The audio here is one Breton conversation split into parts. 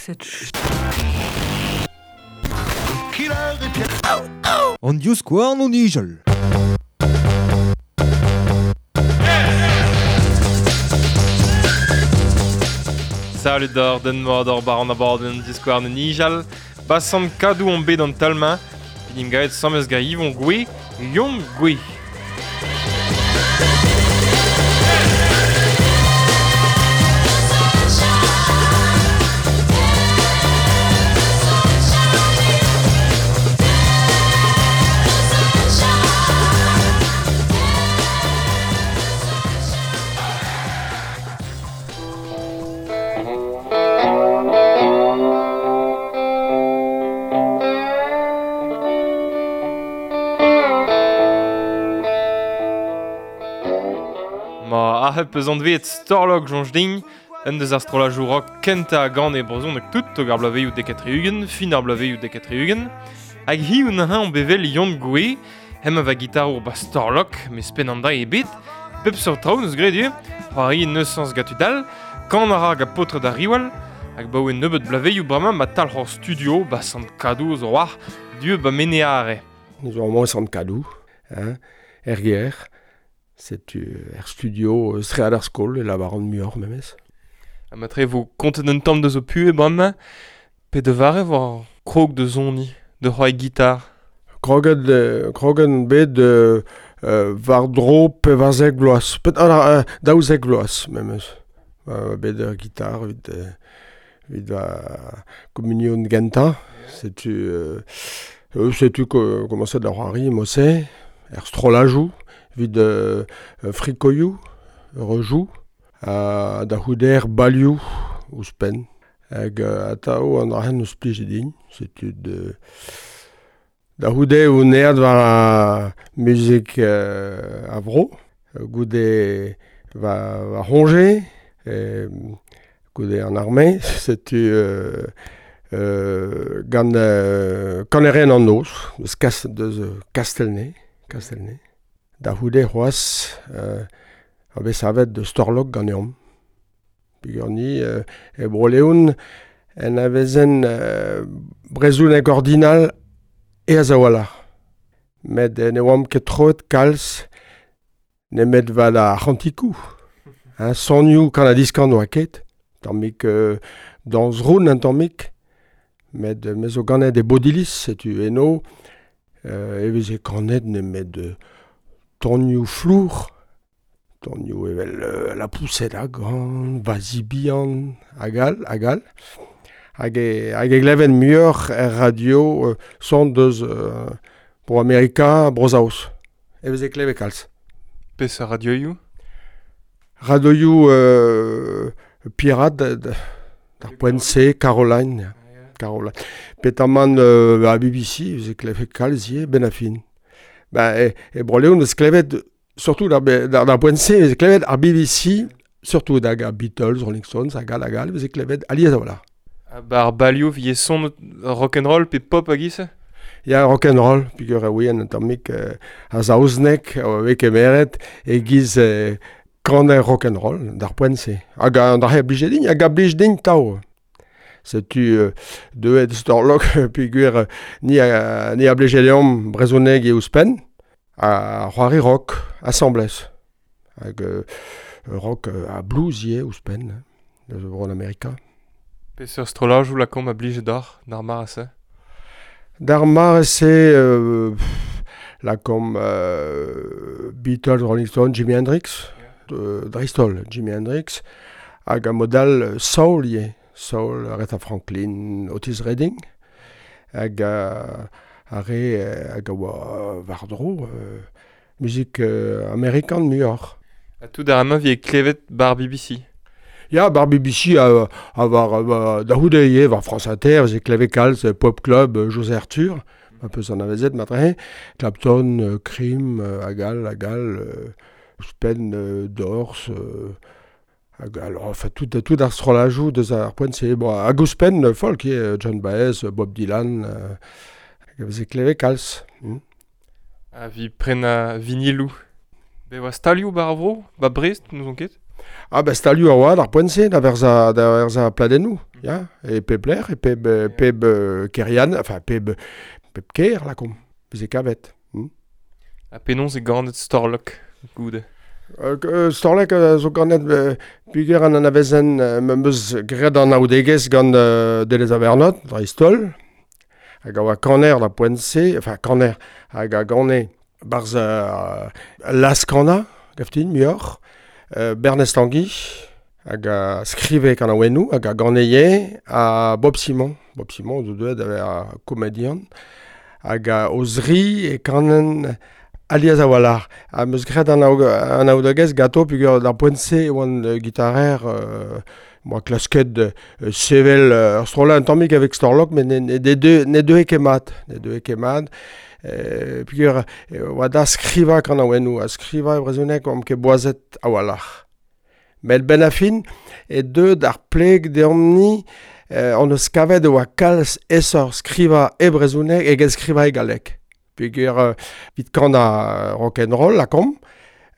Cette An divskouarn o nijal. Salut d'or, den mat ur bar an abadenn divskouarn o nijal. Basan Kadou on bet an talmañ. Evit gaet samez ga Yvon Goué, Yon Goué. Ma arc'hep eus anveet Storlok soñj din, un deus ar strollajoù rock kentañ a gane e brezhoneg tout tog ar bloavezhioù 90, fin ar bloavezhioù 90. Hag hiziv neuze on bevel Yon Goué, hemañ va gitarour ba Storlok, mes penn an dra ebet, pep seurt traoù neus graet ivez, c'hoari neus sañs gant tud all, kan a ra gant paotred ar Riwal, hag baoe nebeut bloavezhioù bremañ ma talc'h hor studio ba Sant-Kadou zo war, du ba Meneare. Nous avons Sant-Kadou, hein, er gêr. Setu er studio stread ar skol e lavaran muioc'h memes. Ha matre vo kontet un tamm deus ho puhez bremañ, pe da vare war krog da soniñ, da c'hoari gitar. Kroget, kroget bet war-dro 14 vloaz, pet, ah, 12 vloaz memes. Bet ur gitar evit, evit va communion gentañ. Setu, setu komañset da c'hoari mod-se, er strollajoù. Evit frikoioù, rejou, ha da c'houde er balioù ouzhpenn. Hag atav an dra-se eus plij din. Setu de... Da c'houde on aet war ar muzik a vro, goude va, va c'hoñje, goude an arme, setu gant kanerien an noz, deus, kas, deus Kastelne, Kastelne. Da c'houde c'hoazh a vez savet de Storlok ganeomp. Peogwir ni e Bro-Leon en avezen brezhoneg ordinal aes a-walc'h. Met ne oamp ket troet kalz nemet war ar c'hantikoù. Hein, sonioù kan-ha-diskan oa ket. Tammig dañs roun un tammig. Met me zo ganet e Bodilis, setu eno e veze kanet nemet tonioù flour, tonioù evel la poussette a gan, va zi bihan, hag all, hag all. Hag e, hag e gleven muioc'h er radio son deus Bro Amerika, Bro-Saoz. E veze klevet kalz. Peseurt radioioù? Radioioù pirat d'ar poent-se, Caroline. Caroline. Petamant a BBC, e veze klevet kalz ivez, ben a fin. Ba, e, e Bro-Leon eus klevet, surtout d'ar, d'ar poent-se, eus klevet ar BBC, surtout hag ar Beatles, Rolling Stones, hag all, hag all, eus klevet alies a-walc'h. Ha ba ar balioù vie son rock'n'roll pe pop hag ise? Ya, rock'n'roll, peogwir e ouien un tammig a saozneg a vez kemeret e-giz kaner rock'n'roll d'ar poent-se. Hag an dra-se a blije din, hag a blij din tav. Setu deuet Storlok peogwir ni a, ni a blije deomp brezhoneg e ouzhpenn, ha c'hoari rock asambles. Hag rock ha blues ivez ouzhpenn, deus bro Amerika. Peseurt strollajoù lakaomp a blije deoc'h d'ar mare-se? D'ar mare-se lakaomp Beatles, Rolling Stones, Jimi Hendrix, dreist-holl Jimi Hendrix, hag a mod all soul ivez. Soul, Aretha Franklin, Otis Redding, hag ar re hag a oa war-dro muzik amerikan muioc'h. Ha tout ar mañ vie klevet bar BBC? Ya, bar BBC a, a war, war da c'houde ivez, war France Inter, veze klevet kalz Pop Club, José Arthur, un peu anavezet matre, Clapton, Cream, hag all, hag all, ouzhpenn Doors, hag all, enfin, tout, tout ar strollajoù deus ar poent-se. Bon, hag ouzhpenn folk ivez, John Baez, Bob Dylan, hag a veze klevet kalz. Ha vi prenañ viniloù. Be oa stalioù bar ar vro, ba Brest, n'ouzon ket? Ah ben stalioù a oa d'ar poent-se da verzañ pladennoù, ya, e pep lec'h, e pep kêrian, enfin pep kêr, lakaomp, veze kavet. Ha penaos eo ganet Storlok goude? Storlok zo ganet peogwir an anavezen m'am eus graet an anaoudegezh gant Denez Abernot, dreist-holl, hag a oa kaner d'ar poent-se, enfin kaner, hag a gane barzh laz-kanañ, gaftin, muioc'h, Bernez Tanguy, hag a skrive kanaouennoù, hag a gane ivez, ha Bob Simon, Bob Simon zo deuet da vezañ komedian, hag o zri e kanen alies a-walc'h. Ha 'm eus graet an anaoudegezh ganto peogwir d'ar poent-se e oan gitarer, 'moa klasket sevel ur strollad un tammig avec Storlok, met ne deue ket mat, ne deue ket mat. Peogwir oa da skrivañ kanaouennoù, ha skrivañ e brezhoneg oamp ket boazet a-walc'h. Met benn ar fin e deu d'ar pleg deomp-ni hon eus kavet e oa kalz aesoc'h skrivañ e brezhoneg eget skrivañ e galleg. Peogwir evit kanañ rock'n'roll, lakaomp,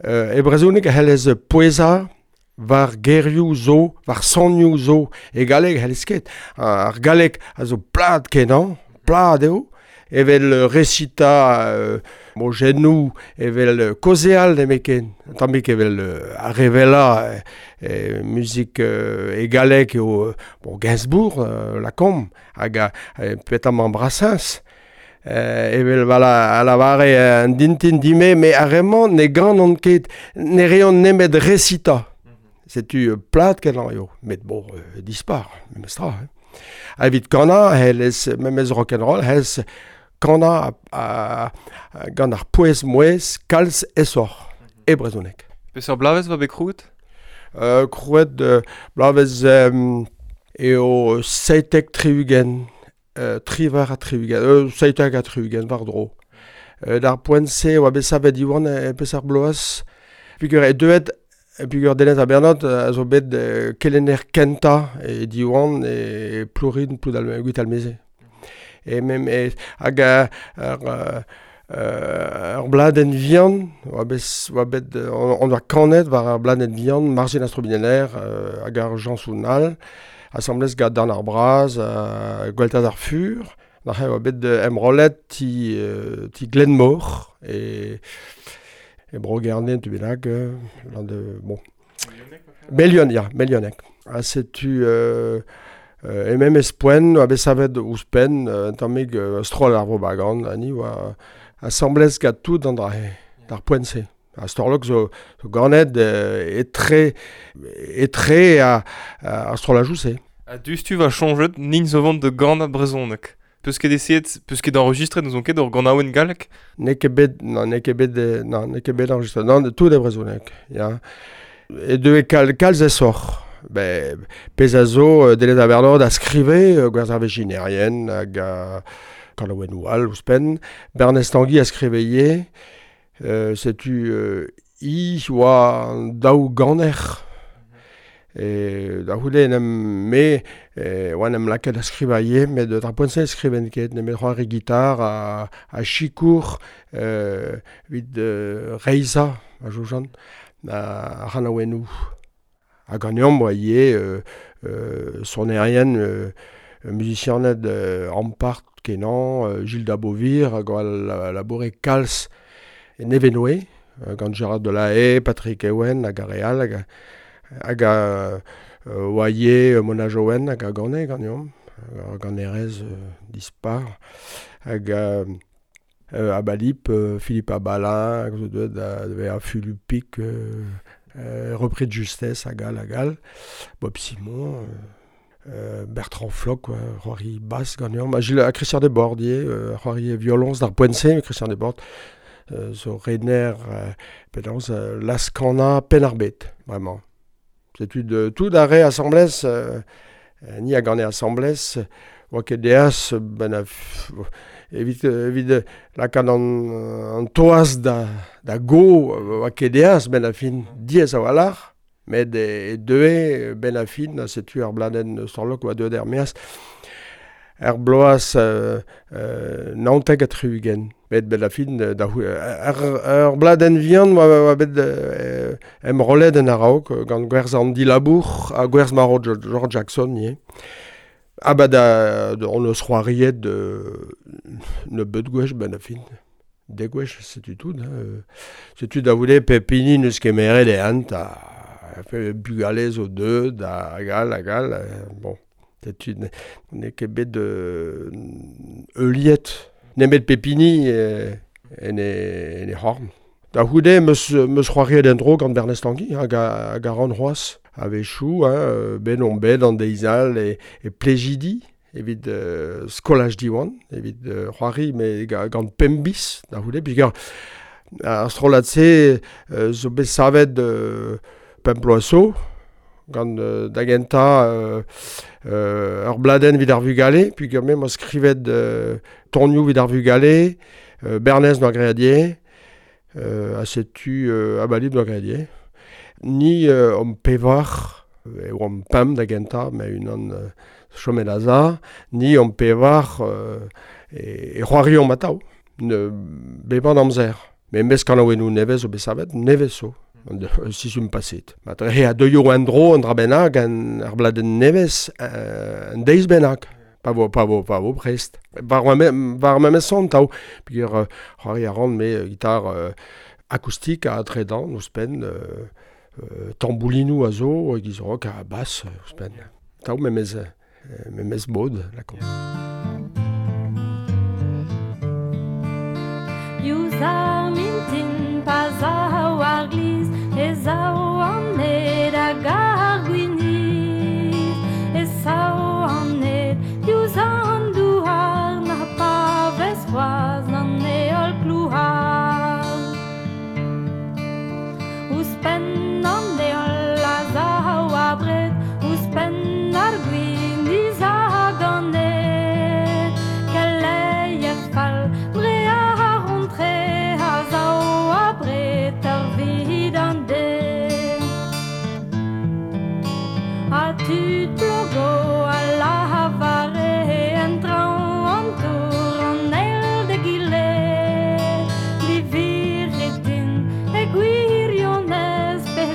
e brezhoneg e c'hellez pouezañ war gerioù zo, war sonioù zo. E galleg e c'hellez ket. Ar galleg a zo plat kenañ, plat eo, evel resitañ mojennoù, evel kaozeal nemetken. Un tammig evel ar re wellañ muzik e galleg eo bon, Gainsbourg, lakaomp, hag petamant Brassens. Evel a lavare an dintin dime, met ar re-mañ ne ganont ket, ne reont nemet resitañ. Setu plat kenañ eo, met bon, dispar, memes tra. Ha evit kanañ, c'hellez memes rock'n'roll, c'hellez kanañ gant ar pouez-mouezh kalz aesoc'h e brezhoneg. Peseurt bloavezh 'oa bet krouet? Krouet bloavezh eo 77, 78, 77 war-dro. D'ar poent-se e oa bet savet Diwan e peseurt bloaz. Peogwir eo deuet peogwir Denez Abernot a zo bet kelenner kentañ e Diwan e Plourin Gwitalmeze. E mem hag ur bladenn vihan oa bet on oa kanet war ar bladenn vihan Marzhin ar Strobinneller hag ar Jañsoun all asambles gant Dan ar Braz Gweltaz ar Fur. Neuze oa bet emrollet ti Glenmor e Bro-Gerne, tu bennak, bon. Melion, ya, Melionek. Ha setu e memes poent oa bet savet ouzhpenn un tammig stroll ar propagande, ha ni oa asambles gant tout an dra-se, d'ar poent-se. Ha Storlok zo ganet etre ar strollajoù-se. Ha diouzhtu va soñjet nin zo vont da ganañ brezhoneg. Peus ket essayet, peus ket enregistret, n'ouzon ket ur ganaouenn gallek? N'eo ket bet, non, n'eo ket bet, non, n'eo ket bet enregistret, non, tout e brezhoneg, ya. E deue kalz aesoc'h. Ben, pezh a zo Denez Abernot a skrive gwerzh ar vezhinerien hag kanaouennoù all ouzhpenn. Bernez Tanguy a skrive ivez. Setu i oa an daou ganer. E da c'houde en em me oa en em lakaet da skrivañ ivez, met d'ar poent-se ne skriven ket, nemet c'hoari gitar ha sikour evit reizhañ, ma soñjan, ar c'hanaouennoù. Ha ganeomp oa ivez sonerien, muzisianed ampart kenañ, Gilles Dabovir hag oa laboure kalz e Nevenoe, gant Gérard Delahaye, Patrick Ewen hag ar re all, hag oa ivez Mona Joen hag a gane ganeomp, ur ganerez dispar, hag Abalip, Philippe Abalin, hag zo deuet da vezañ Fulupik, repris de justesse hag all hag all, Bob Simon, Bertrand Floch, c'hoari bass ganeomp, ha Christian Desbordes ivez, c'hoari violoñs d'ar poent-se, Christian Desbordes zo rener penaos laz-kanañ Penn-ar-Bed, bremañ. Setu tout ar re asambles, ni a gane asambles, oa ket deas ben evit lakaat an toaz da go, oa ket deas ben a fin diaes a-walc'h, met e deue ben a fin, setu ar bladenn Storlok oa deuet er-maez er bloaz 79. Met ben a fin, ur bladenn vihan oa bet em rolet en araok, gant gwerz an dilabour, ha gwerz maro George Jackson, nie. Ha ba da, on eus c'hoariet ne beut gwech ben a fin. De gwech, setu tout. Hein. Setu da voulez pepini neus kemeret e ant a bugale zo deud da gal, a gal. Bon, setu ne ket bet euliet. Nemet pepini en e horn. Da houde meus c'hoariet en dro gant Bernez Tanguy, hag a ran c'hoaz. A-wechou, hein, ben on bet an deizal e plejidi, evit skolaj diwan, evit c'hoari, me gant pembis, da houde, puis ar strollad-se zo bet savet pemploaso, gant da genta ur bladen vid ar vugale, puis me ma skrivet tonioù vid ar vugale, Bernez noa greadier, a setu abalib noa greadier. Ni om pevar, e oam pemp da genta, me unan chomet aza, ni om pevar e c'hoarion matao, ne beban amzer. Me mes kanaouennoù nevez o bet savet, nevez zo, sizhun paset. Ma dre a deuio an dro an dra bennak, an ar bladenn nevez, an deiz bennak. Pa vo prest. War ma son tao, peogwir c'hoari a ran me gitar akoustik a tredan, ouzhpenn, tamboulinoù a zo, giz rock a bass, ouzhpenn. Tao memez mod, lakomp. Diouzh ar mintin pa zao ar gliz, e zao an ed hag ar gwiniz, e sao an ed diouzh an douar, na pa vez c'hoazh an heol klouar. Ouzhpenn an heol a zao abred, ouzhpenn ar gwiniz hag an ed, keleier fall dre ar rontre a zao abred ur vid an den. Ha tud plogo a lavare en traoñ an tour an eil d'egile, livirit din e gwirionez pe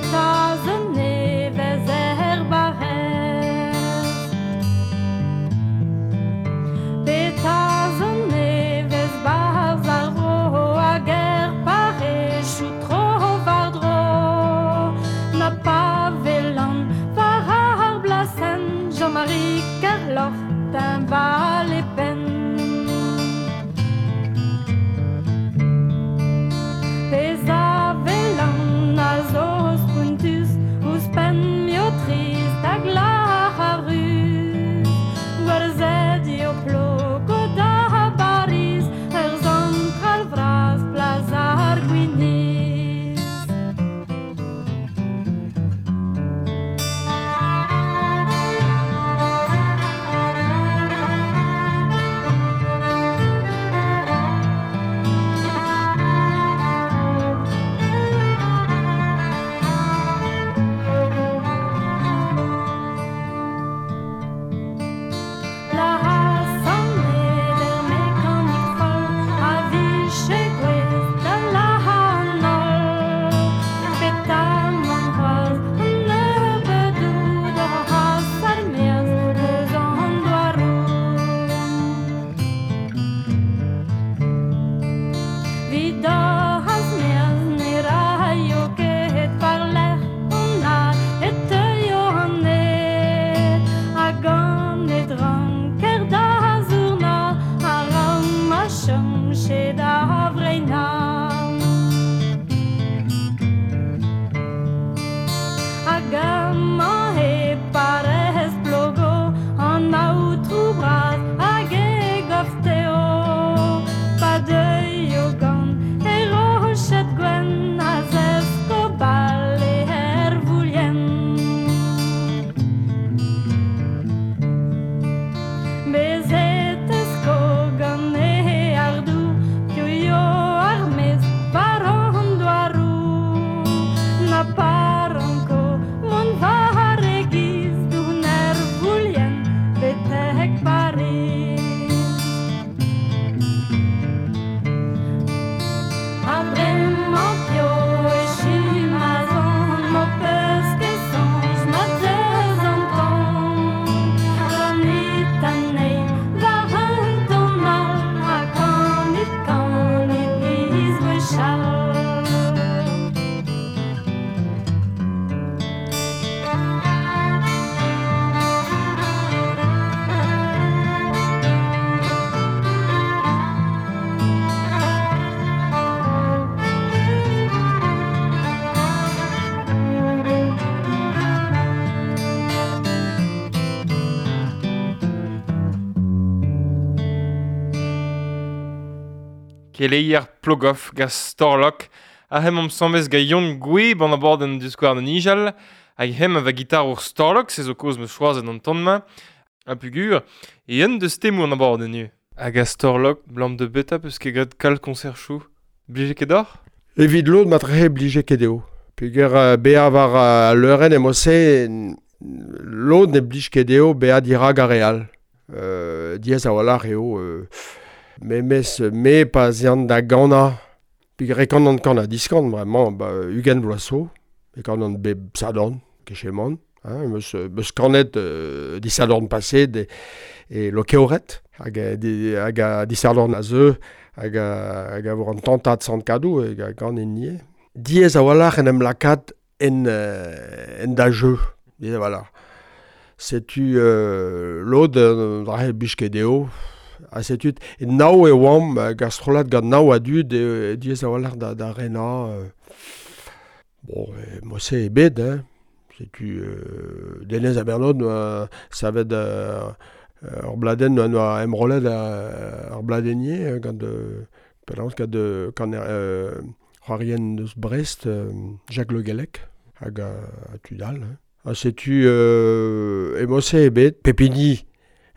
Keleier Plogoff ga Storlok, a hem am sambez ga Yon Gwe ban abord an diskouarn an ijal, hag hem a va gitar ur Storlok, se zo koz me choazet an ton-ma, a pugur, e un deus temou an abord an nu. Hag a Storlok, blam de beta peus ket graet kal konser chou. Blije ket d'or? Evit lod matrehe blije ket eo. Pugur bea war leuren emose, lod ne blij ket eo bea dirag ar real. Diez a walc'h eo... Memes me pa zean da gana, pig rekant an kan a diskant, vraiment, ba, ugen vloaso, e kan an beb sadorn, kecheman, hein, meus kanet disadorn passé de, e lo keoret, hag a disadorn a zeu, hag a vor an tantad sant kadou, hag a gan en nie. Diez a walc'h en em lakat en da jeu, diez a walc'h. Setu lod, drahe bichket eo, a setu e nao e oam gastrolat gant nao a dud e diez a walc'h da rena. Bon, mo se e bet, hein. Setu Denez a Bernod noa savet ur bladen noa emrolet ur bladenier gant penaos gant kan c'hoarien deus Brest, Jacques Le Guellec hag a tudal. Hein. A setu e mo se e bet, Pepini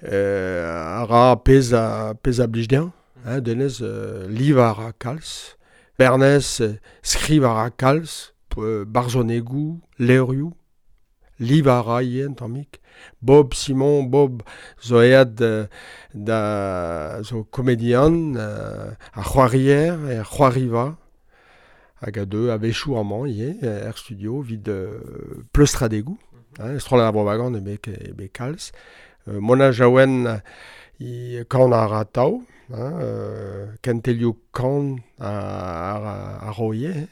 a ra pez a blij dezhañ, hein, Denez liv a ra kalz, Bernez skriv a ra kalz, barzhonegou, levrioù, liv a ra ivez un tammig. Bob Simon, Bob zo aet da zo komedian, a c'hoarier, e c'hoariva, hag a deu a-wechoù amañ ivez, er studio, vid pleustradegoù, hein, strollad ar propagande e be kalz. Mona Jaouen i kan a ra tao, hein, kentelioù kan a roie.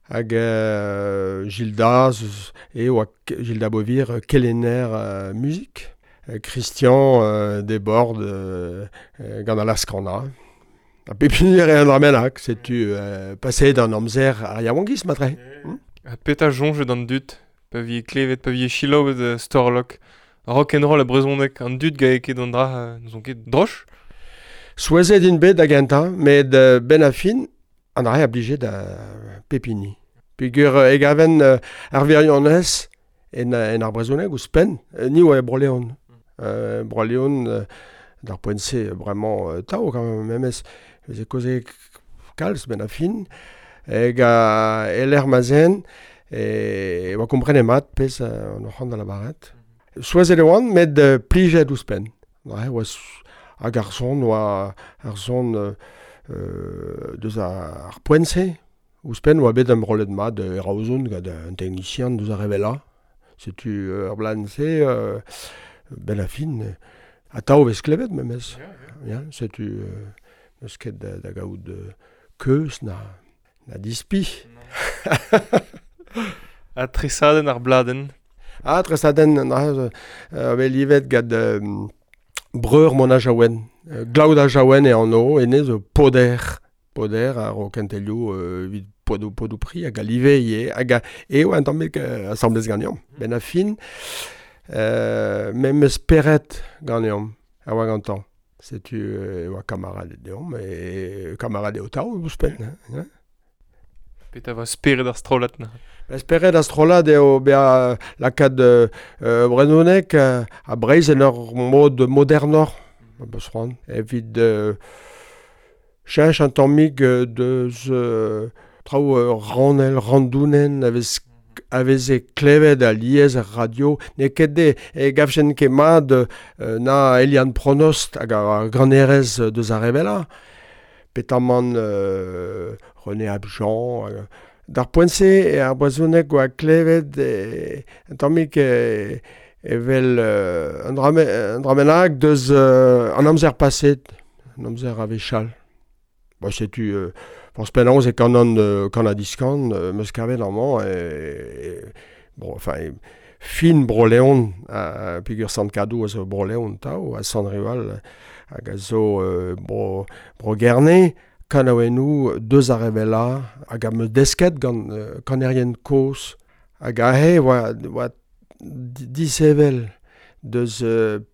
Hag Gilda, e oa Gilda Bovir, kelenner muzik. Christian Desbordes gant a laskana. A pepinir e an dramenak, setu passé d'an amzer ar yaouankiz matre. A peta jonge d'an dut, pa vi klevet, pa vi chilaouet Storlok. Rock and roll a brezhoneg, an dud ga ket an dra, n'eus ket droch? Souezhet int bet da gentañ, met ben a fin, an dra a blije da Pepini. Peogwir e gaven ar wirionez en ar brezhoneg ouzhpenn, ni oa e Bro-Leon. Bro-Leon, d'ar poent-se, vraiment tao quand même, memes, veze koze kalz ben a fin, hag a eler mazen, e oa komprenet mat pezh an oc'h da la baret. Souezhet e oan, met plijet ouzhpenn. Ouais, oa hag ar son, oa ar son deus ar poent-se. Ouzhpenn oa bet am rolet mat e Raozon gant un technicien deus ar revela. Setu ar blan-se, ben a fin, a tao vez klevet memes. Ja, setu n'eus ket da gaout keuz na dispi. A tresadenn ar bladenn. Ah, tresadenn, ve livet gant breur Mona Jaouen. Glaoda Jaouen e anv, enez zo poder ar o kentelioù evit podou pri hag a live ivez, hag eo un tammig asambles ganeomp. Ben a fin, memes spered ganeomp, a oa gantañ. Setu e oa kamarad deomp, e kamarad eo tao ouzhpenn. Hein? Peta va spered ar strollad na? Ba spered ar strollad eo bea lakaat brezhoneg a Breizh en ur mod modernoc'h, beus c'hoant. Evit cheñch un tammig deus traoù ranel, randounen, a veze klevet a liez ar radio, n'eo ket de e gavjen ket mat na Eliane Pronost hag ar granerez deus ar revela. Petamant René Abjean. D'ar poent-se e ar brezhoneg oa klevet un tammig evel un dramenag deus an amzer paset, an amzer a wechall. Ba setu forzh penaos e kanan kan a diskan, meus kavet amañ bon, enfin, fin Bro-Leon, peogwir Sant-Kadou a zo Bro-Leon tao, a Sant-Rival hag a zo Bro-Gerne, kanaouennoù deus ar revela hag a meus desket gant kanerien kozh hag aze oa disevel deus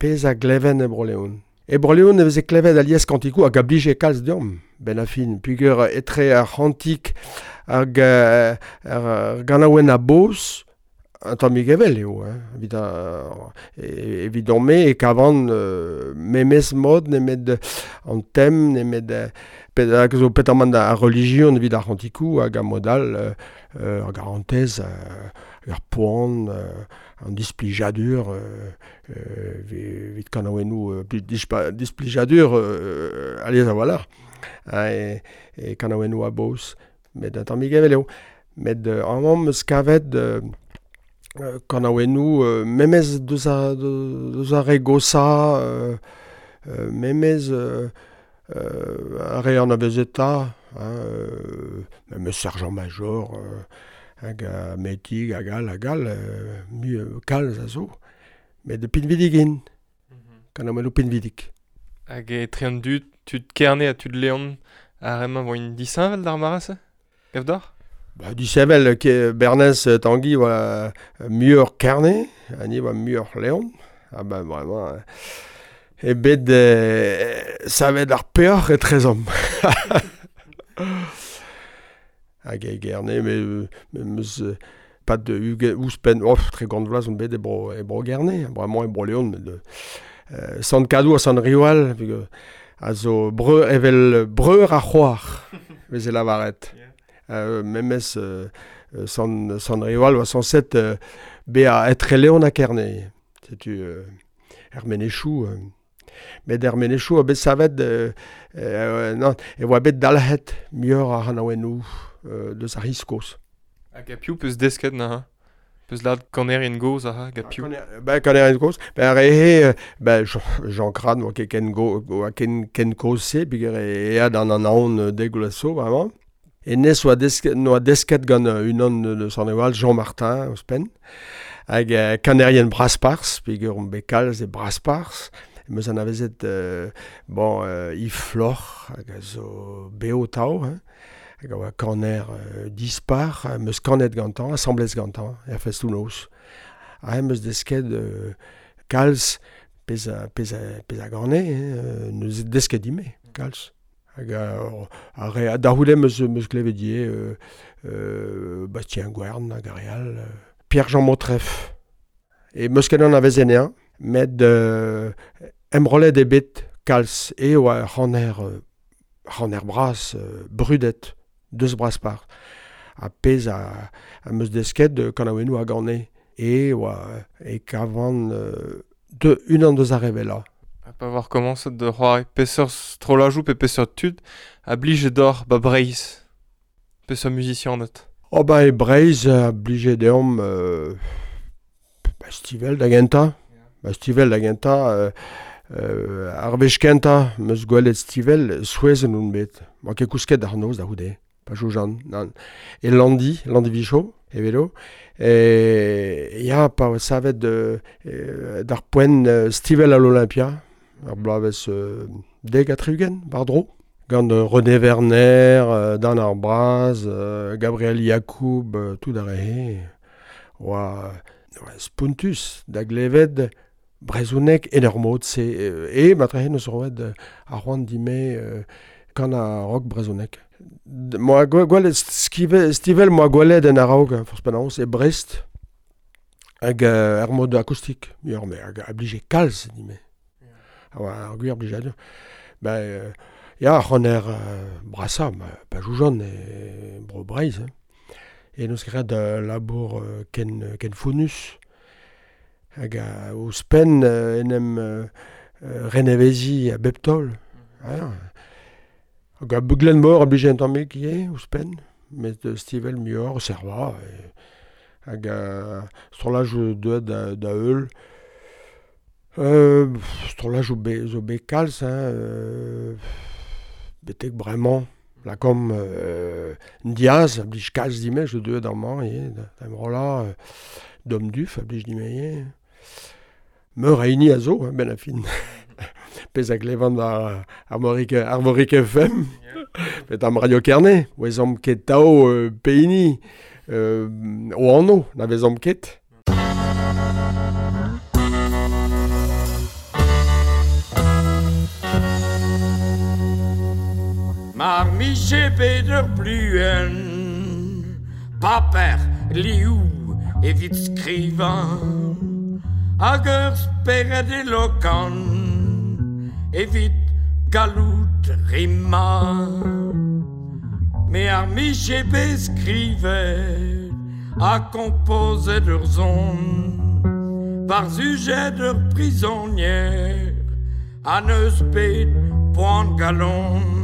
pezh a gleven e Bro-Leon. E Bro-Leon e veze klevet alies kantikou hag a blije kalz deomp, ben a fin. Pugur etre ar c'hantik hag ar ganaouenn a boz, un tammig evel eo, hein, evit evidon-me e kavan memes mod nemet an tem, nemet hag zo petamant ar religion evit ar c'hantikou hag a mod all ar garantez, ar poan, an displijadur, evit kanaouennoù displijadur alies a-walc'h, hein, e kanaouennoù a boz, met un tammig evel eo. Met amañ 'm eus kavet kanaouennoù memes deus ar re gosañ, memes ar re anavezetañ, hein, memes Sergent Major, hag Metig hag all hag all, mui kalz a zo. Met pinvidik int, kanaouennoù pinvidik. Hag etre an dud, tud Kerne ha tud Leon, ar re-mañ vo int disheñvel d'ar mare-se, gav deoc'h? Ba, disheñvel, ke Bernez Tanguy oa muioc'h Kerne, ha ni oa muioc'h Leon. Ah ben vraiment, e bet savet ar peoc'h etrezomp. Hag e Gerne, me meus pas de ouzhpenn, oh, 30 vloaz on bet e bro Gerne, bremañ e bro Leon, met Sant Kadou ha Sant Riwal, a zo breur evel breur ar c'hoar, veze lavaret. Memes Sant Riwal oa sañset bezañ etre Leon ha Kerne. Setu er Menechou. Met er Menechou a bet savet non, e oa bet dalc'het muioc'h ar c'hanaouennoù deus ar c'hiz-kozh. Hag a piv peus desket neuze? Peus lâret kanerien gozh aze, hag a piv? Ben kanerien gozh, ben ar re-he, ben Jean Crane oa ket ken go, oa ken kozh-se, peogwir e eat an anaon dek vloaz zo, vraiment. Hennezh oa desket, noa desket gant unan de Sant Riwal, Jean Martin, ouzhpenn. Hag kanerien Brasparzh, peogwir omp bet kalz e Brasparzh. Em eus anavezet bon, Yves Floc'h, hag a zo bev tav, hein. Hag a oa kaner dispar, em eus kanet gantañ, asambles gantañ, er festoù-noz. Ha em eus desket kalz pezh a gane, hein, neus desket dime, kalz. Hag ar re da c'houde em eus klevet ivez Bastien Gwern hag ar re all, Pierre-Jean Motreff. E em eus ket anavezet anezhañ, met emrollet eo bet kalz e oa ur c'haner bras brudet deus Brasparzh. Ha pezh a em eus desket kanaouennoù a gane e oa e kavan unan deus ar re wellañ. Ha pa war komañset da c'hoari peseurt strollajoù pe peseurt tud a blije deoc'h ba Breizh? Peseurt muzisianed? Oh ba e Breizh a blije deomp ba Stivell da gentañ. Ba Stivell da gentañ, ar wech kentañ 'm eus gwelet Stivell, souezhet on bet. Oa ket kousket d'ar noz da c'houde, pa soñjan. Nann. E Landi, Landi-Vicho, evelo. E ya, pa oa savet d'ar poent Stivell à l'Olympia, ar bloavezh 70, war-dro. Gant René Werner, Dan ar Braz, Gabriel Yacoub, tout ar re-he. Oa spontus da glevet brezhoneg en ur mod-se. E matrehe neus roet ar c'hoant dime kan a rock brezhoneg. Moa gwelet Stivell moa gwelet en a-raok, forzh penaos, e Brest, hag ar mod akoustik, muioc'h, met hag a blije kalz dime. A oa ar gwir blijadur. Ben, ya, ar c'haner brasañ, pa joujan e bro Breizh. Hein. E neus graet labour ken fonnus. Hag ouzhpenn en em reneveziñ a bep taol. Hag a Glenmor a blije un tammig ivez, ouzhpenn, met Stivell muioc'h, Serva. Hag strollajoù deuet da heul. Strollajoù zo bet kalz, hein, betek bremañ. Lakaomp Diaz a blij kalz dime, zo deuet amañ ivez, da emrollañ. Dom Duff a blij dime ivez. Meur a hini a zo, hein, ben a fin. Pezh a glevan war Arvorig FM, met am Radio Kerne, oa ket tao pehini o anv, na vezomp ket. Mar miche bet ur pluen, paper liou evit skrivañ, hag ur spered elokan evit gallout rimañ. Me ar miche bet skrivet ha kompozet ur zon, war sujet ur prizonier ha neus bet poan galon.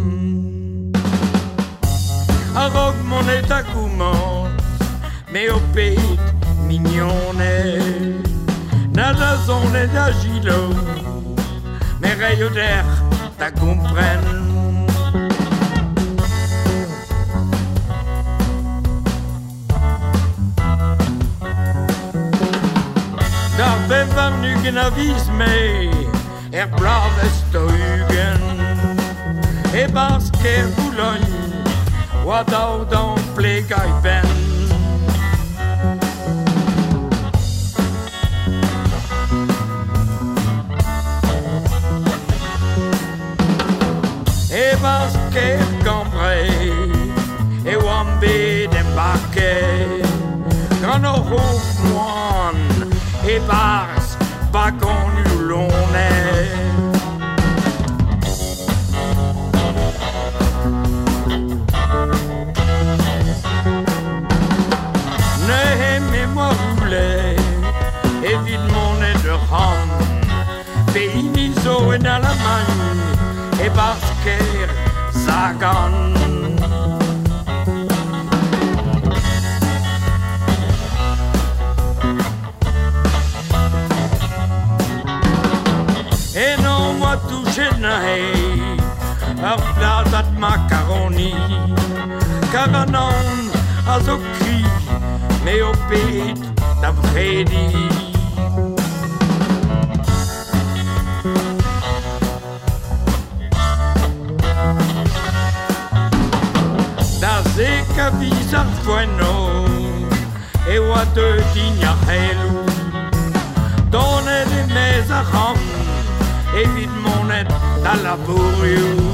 A-raok monet da gomañs, me ho ped mignoned, na da zonet da gilo, me reio dec'h da gompren. D'ar bevar nugen a viz mae, er bloavezh daou-ugent, e-barzh kêr Boulogne, oa daou d'an plegañ benn. E-barzh kêr Cambrai, e oan bet embarket, gant ur c'hof moan, e-barzh bagonioù loened. Neuze me 'moa roullet evit monet d'ur c'hamp, pehini zo en Alamagn, e-barzh kêr Sagan. Eno 'moa touchet neuze ur pladad makaroni, kar an aon a zo kri, me ho ped da brediñ. Da zek a viz ar foenno e oa deuet din ar c'heloù, donet e-maez ar c'hamp evit monet d'al labourioù.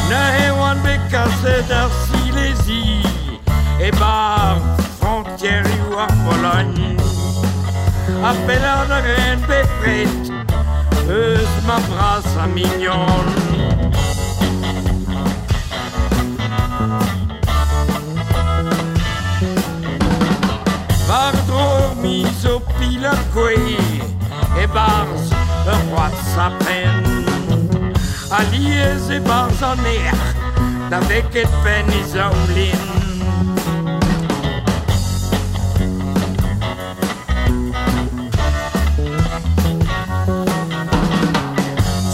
Neuze oan bet kaset ar Silesi e-barzh frontierioù ar Pologne, ha pellaat a raen bepred eus ma brasañ mignon. War-dro ur miz o pilat kouez e-barzh ur c'hoad saprenn, alies e-barzh an erc'h da veket penn e zaoulin.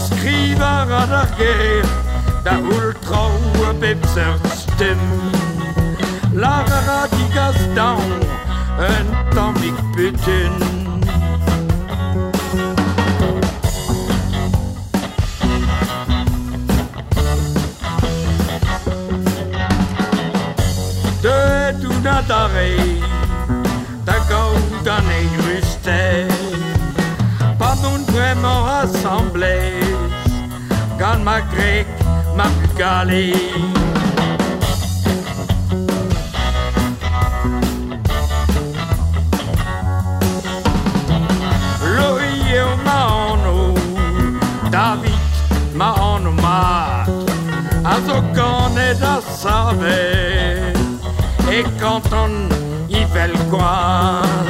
Skrivañ a ra d'ar gêr da c'houl traoù a bep seurt stumm, lâr a ra digas daon un tammig butun. Deuet out adarre da gaout an eürusted, pa n'on bremañ asambles gant ma gwreg, ma bugale. Lori eo ma anv, David ma anv mat, a zo ganet ha savet e kanton Ivelgoad.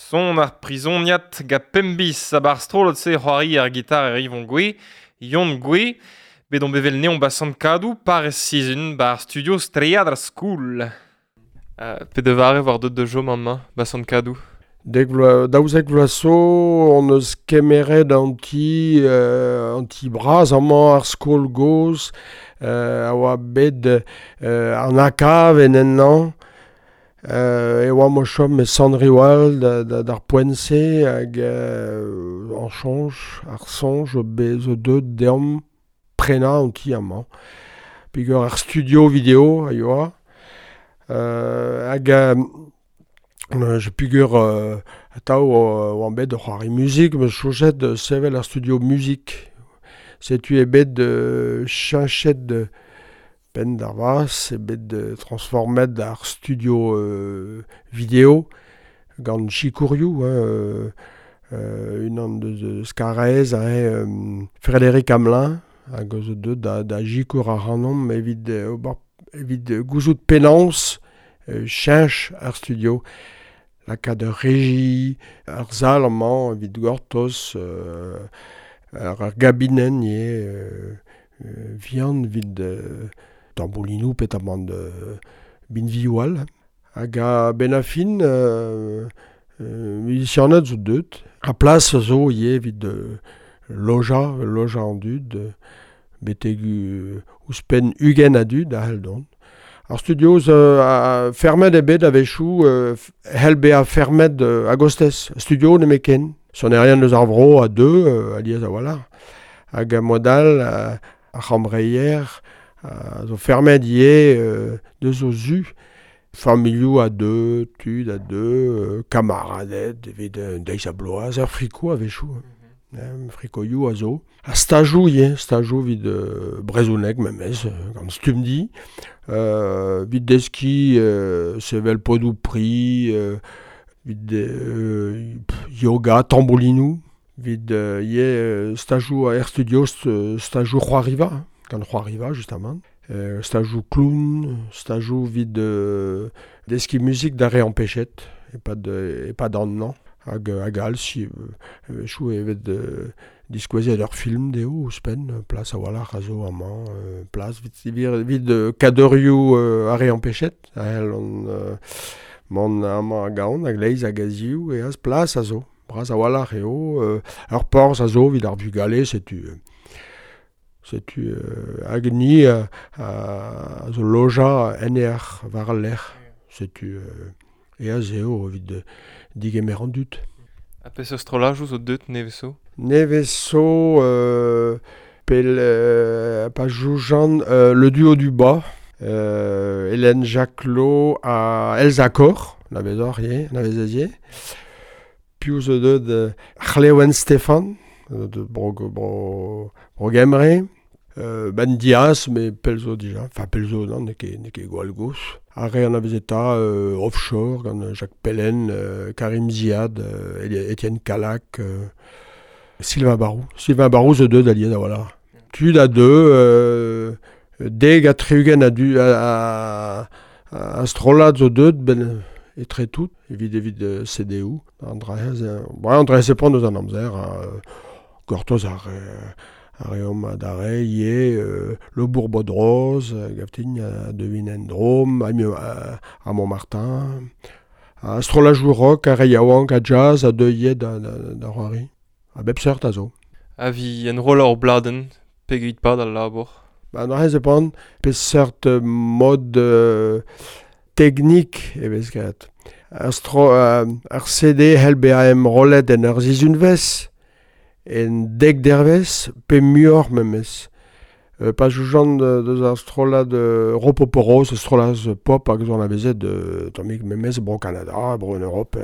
Son ar prizoniad ga pembis a bar strollad-se c'hoari ar gitar er Yvon Goué, Yon Goué, bet on bevel neon ba Sant-Kadou par sizun bar studio Stread ar School. Pe de vare war deut de jo mamma ba Sant-Kadou. Dek vloaz, daouzek vloaz zo, on eus kemeret an ti, an ti bras amañ ar skol gozh, a oa bet an akav en ennañ. E oa mo chom e Sant-Riwal d'ar poent-se hag an soñj, ar soñj be zo deut deomp prenañ an ti amañ. Peogwir ar studio video a yoa. Hag je peogwir atav oan bet o c'hoari muzik, meus soñjet sevel ar studio muzik. Setu eo bet cheñchet penn d'ar vazh, eo bet transformet ar studio video gant sikourioù, hein, unan deus Karaez, hein, Frédéric Hamelin, hag zo deut da sikour ac'hanomp evit ober evit gouzout penaos cheñch ar studio. Lakaat ur reji, ar sal amañ evit gortoz, ar gabinenn ivez, vihan evit tamboulinoù petamant binvioù all. Hag a-benn ar fin, muzisianed zo deut. Ha plas zo ivez evit lojañ, lojañ an dud, betek ouzhpenn 20 a dud a c'hell dont. Ar studio zo fermet eo bet a-wechoù, c'hell bezañ fermet a-gostez. Studio nemetken. Sonerien eus ar vro a deu alies a-walc'h. Hag mod all ar c'hambreier zo fermet ivez deus o zu. Familhoù a deu, tud a deu, kamaraded evit un deiz ha bloaz, ur friko a-wechoù. Frikoioù a zo. Ha stajoù ivez, stajoù evit brezhoneg memes, gant Stumdi. Evit deskiñ sevel podoù pri, evit yoga, tamboulinoù, evit ivez stajoù er studio, stajoù c'hoariva, gant c'hoariva justement. Stajoù clown, stajoù evit deskiñ muzik d'ar re ampechet, e-pad an hañv. Hag all, si a-wechoù e vez diskouezet ur film dezho ouzhpenn, plas a-walc'h a zo amañ, plas evit kadorioù ar re ampechet, a c'hell mont amañ hag ahont, a-gleiz hag a-ziv, e az plas a zo. Bras a-walc'h eo, ur porzh a zo evit ar vugale, setu setu hag ni a zo lojañ en aer war al lec'h, setu eas eo evit digemer an dud. Ha peseurt strollajoù zo deut nevez zo? Nevez zo pel pa joujan le duo du bas, Hélène Jacquelot ha Elsa Kor, anavezoc'h ivez, anavezez ivez. Piv zo deut C'hlewen Stefan, de Bro Gembre. Ben Diaz, mais pell zo dija. Enfin, pell zo, non, n'eo ket gwall gozh. Ar re anavezeta Offshore, gant Jacques Pellen, Karim Ziad, Étienne Calac, Sylvain Barou. Sylvain Barou zo deut alies a-walc'h. Tud a deu, dek ha tri-ugent a du a strollad zo deut, ben etre tout, evit CDU. An dra-se pont eus an amzer, gortoz ar reomp adarre ivez Le Bourbodroz, gaftin devin en-dro, a Montmartin, a strollajoù rock, a re yaouank, a jazz, a deu ivez da c'hoari. A bep seurt a zo. A vi enrollañ ur bladenn, pegeit pad al labour? Ba an dra-se pan, peseurt mod teknik e vez graet. Ar CD c'hell bezañ enrollet en ur sizhunvezh, en dek dervezh, pe muioc'h memes. Pa joujan deus ar strollad Ropoporos, strollad pop hag zo anavezet tammig memes bro Kanada, bro en Europe.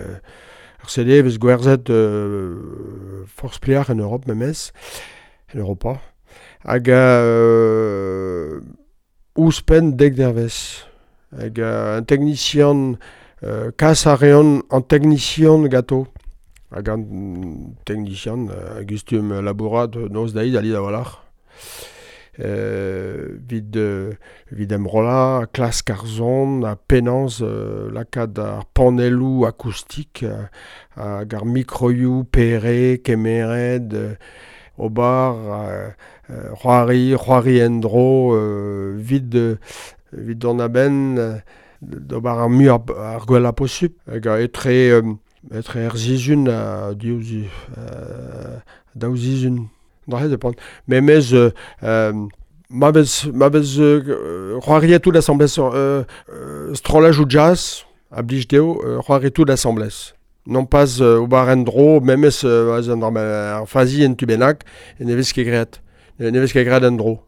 Ar CD vez gwerzhet forzh pleac'h en Europe memes, en Europa. Hag ouzhpenn dek dervezh. Hag un teknisian, kas a reont an teknisian ganto. Hag an teknisian a gustum labourat noz deiz alies a-walc'h. Evit emrollañ, klask ar son, ha penaos lakaat ar panelloù akoustik hag ar mikroioù pere, kemeret, ober, c'hoari en-dro, evit dont a-benn d'ober ar muiañ ar gwellañ posupl. Hag etre er sizhun ha daou sizhun. Dra depend. Memes ma vez c'hoariet tout l'assemblée strollajoù jazz A blij dezho c'hoari tout asambles. Non pas ober en dro, memes ar fazi en tu bennak, e ne vez ket graet. Ne vez ket graet en dro.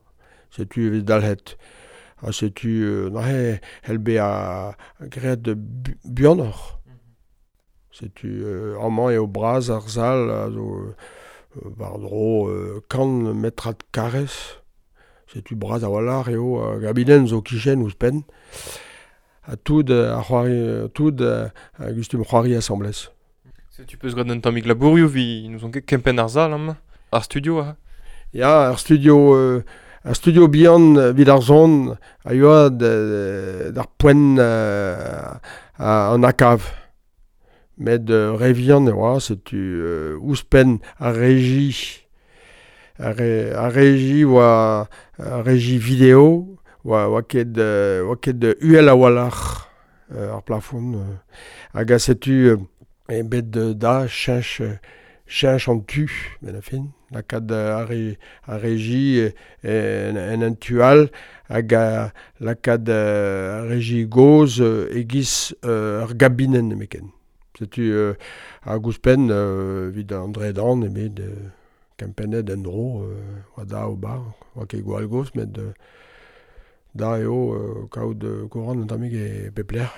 Setu evit dalc'het. Ha setu neuze c'hell bezañ graet buanoc'h. Setu amañ eo bras ar sal a zo war-dro 100 metrad karrez. Setu bras a-walc'h eo ar gabinenn zo kichen ouzhpenn. Ha tout a c'hoari, tout a gustum c'hoari asambles. Setu peus graet un tammig labourioù vi n'ouzon ket kempenn ar sal amañ, ar studio ha. Ya, ar studio bihan evit ar son a yoa d'ar poent an akav. Met re vihan e oa, setu ouzhpenn ar reji, ar reji oa ar reji video, oa ket uhel a-walc'h ar plafon. Hag a setu e bet da cheñch an tu, ben a fin. Lakaat ar reji en un tu all, hag lakaat ar reji gozh e-giz ur gabinenn nemetken. Setu hag ouzhpenn evit an dredan ebet kempennet en-dro oa da ober, oa ket gwall gozh, met da eo kaout kourant un tammig e pep lec'h,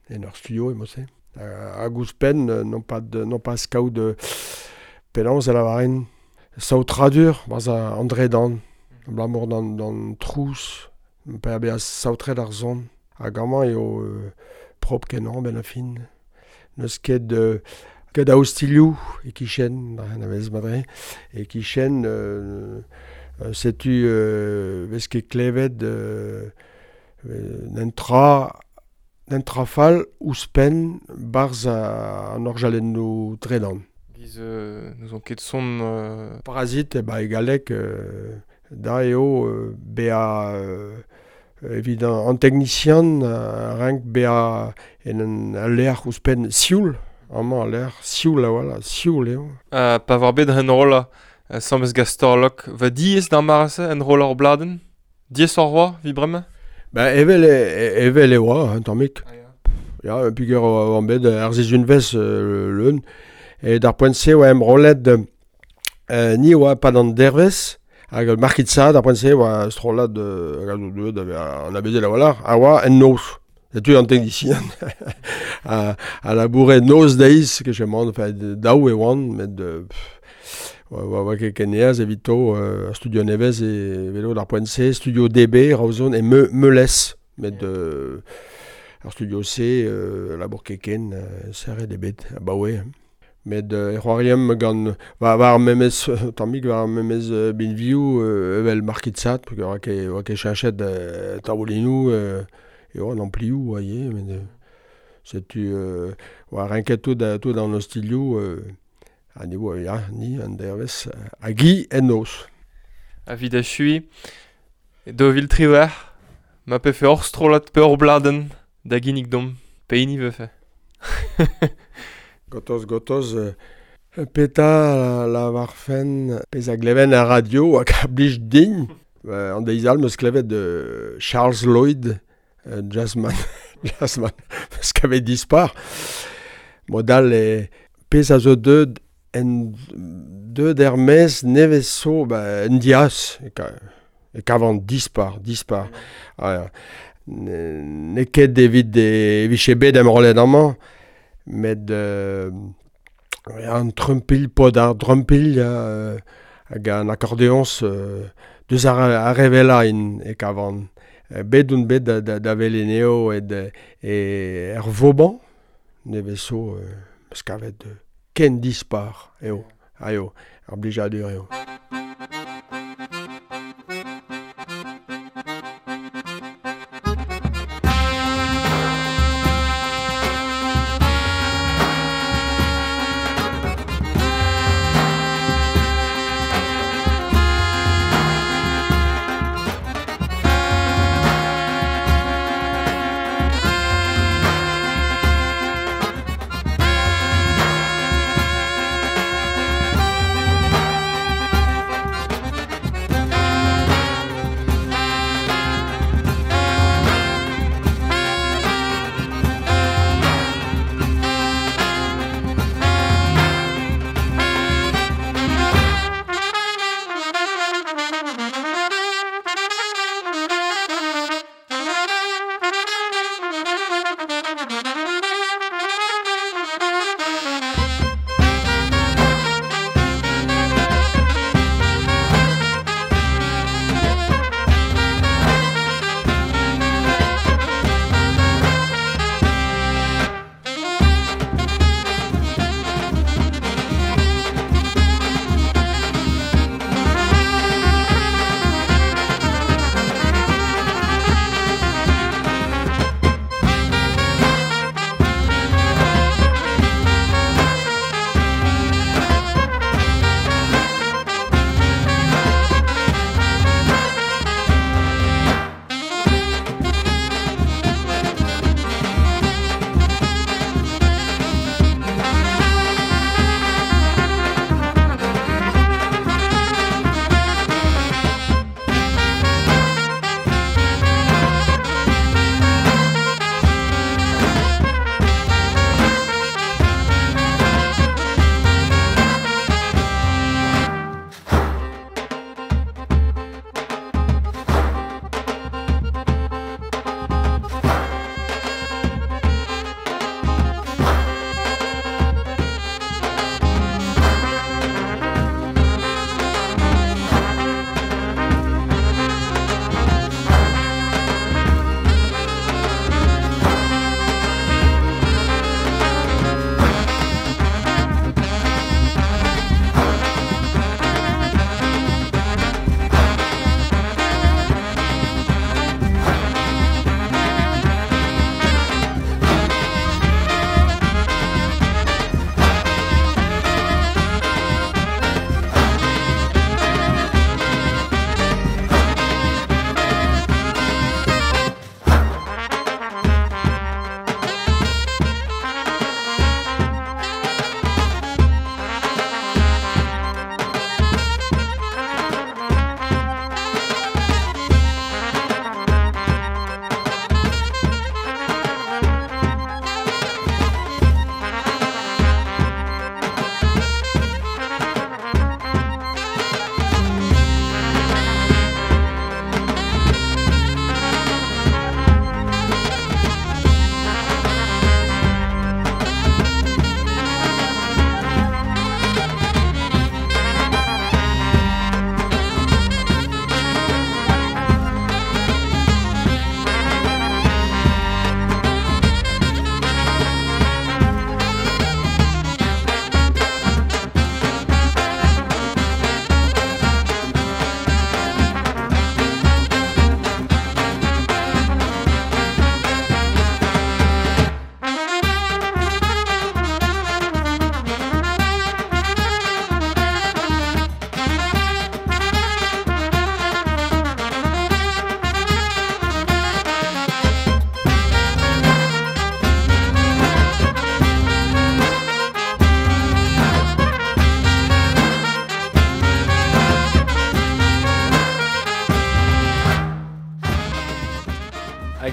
en ur studio e mod-se. Hag ouzhpenn non pas kaout penaos a lavarin saotradur barzh an dredan, abalamour d'an trouz, pa bezañ saotret ar son. Hag amañ eo propr kenañ benn ar fin. N'eus ket a ostilhoù e-kichen, a vez madre, e-kichen setu vez ket klevet n'en tra fall ouzhpenn barzh an orjalennoù tredan. Giz n'ouzon ket son... Parazit, ba e galleg, da eo bezañ evit an teknisian a rank bezañ en un lec'h ouzhpenn sioul, amañ al lec'h sioul a-walc'h, sioul eo. Pa war bet enrollañ asambles gant Storlok, va diaes d'ar mare-se enrollañ ur bladenn? Diaes hor oa, evit bremañ? Ba evel e oa, un tammig. Ya, peogwir oan bet ar sizhunvezh leun. E d'ar poent-se oa enrollet ni oa pad an dervezh, hag Markitsa d'ar poent-se oa strollad an abezel a-walc'h, a oa en noz. Setu an teknisian a laboure noz deiz, ket chemant, enfin, daou e oan, met oa ket ken aes evito ar studio nevez e velo d'ar poent-se, studio DB, Raozon, e Meulez, met ar studio C, labour keken, serret ebet, abaoe. Met e c'hoariem gant war memes tammig war memes binvioù evel Markitsat, oa ket cheñchet taboulinoù eo an amplioù oa ivez, met setu oa renket tout an ostilhoù ha ni oa ya, ni an dervezh hag i en noz. Evit echuiñ, 2018, ma pefe hor strollad pe hor bladenn da ginnig domp, pehini vefe? Gotoz, peta la varfen pezh a gleven ar radio hag a blij din. An deiz all meus klevet Charles Lloyd, jazzman, meus kavet dispar. Mod all e pezh a zo deud en deud er mez nevez zo ba, en diaz, e kavan dispar. Ah, ne ket evit e vije bet emrollet amañ, met an trumpilh, pod ar drumpilh hag an akordeoñs deus ar revela in e kavan. Bet on bet da veleneo et er Vauban, nevez zo meus kavet ken dispar eo, aio, ar blijadur eo.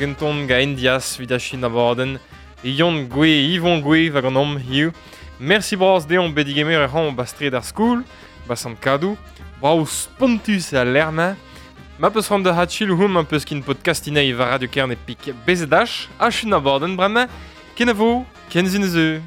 hag un ton ga Indias vid achin abadenn. Yon Gwe, Yvon Gwe va gant om hiu. Merci bras deomp bet digemer e ran bastred ar skoul, ba sant kadou. Brao spontus a lerma. Ma peus ran da hatchil houm un peus kin podcastinei va Radio Kerne pik bezedach, achun abadenn bremañ, kenavo, kenzin eus.